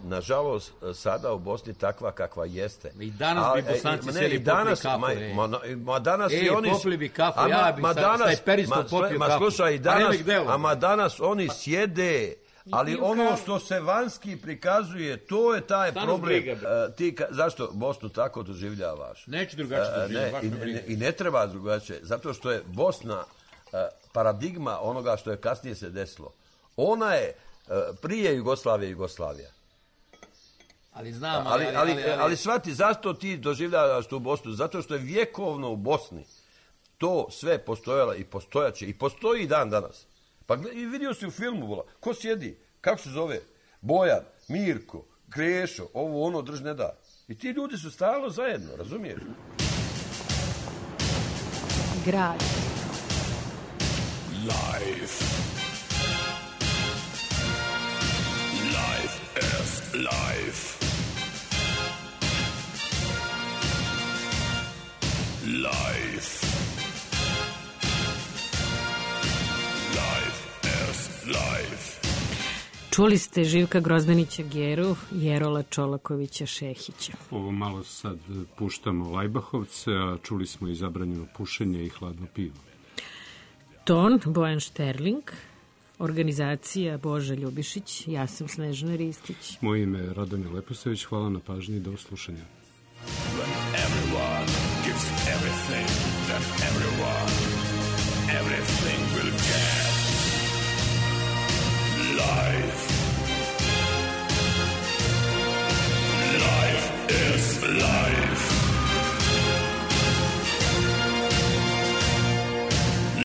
nažalost, sada u Bosni takva kakva jeste. I danas bi Bosanci seli popili kafu. Ma danas i oni... popili bi kafu, ja bi stajperisto popio kafu. Slušaj, danas oni sjede... Ali ono što se vanjski prikazuje, to je taj problem. Ti zašto Bosnu tako doživljavaš? Neću drugačije doživljavaš. I ne treba drugačije, zato što je Bosna paradigma onoga što je kasnije se desilo. Ona je prije Jugoslavija. Ali znam, ali shvati, zašto ti doživljavaš tu Bosnu? Zato što je vjekovno u Bosni to sve postojalo i postojaće i postoji i dan danas. Pa vidio si u filmu, ko sjedi, kako se zove, Bojan, Mirko, Krešo, ovo ono, drž ne da. I ti ljudi su stalno zajedno, razumiješ? Grad. Life is life. Life is life. Čuli ste Živka Grozdanića Geru i Erola Čolakovića Šehića. Ovo malo sad puštamo Lajbahovce, a čuli smo i zabranjeno pušenje i hladno pivo. Ton Bojan Šterling, organizacija Boža Ljubišić, ja sam Snežana Ristić. Moje ime je Radomir Leposavić, hvala na pažnji i do slušanja. When everyone gives everything, then everything will give.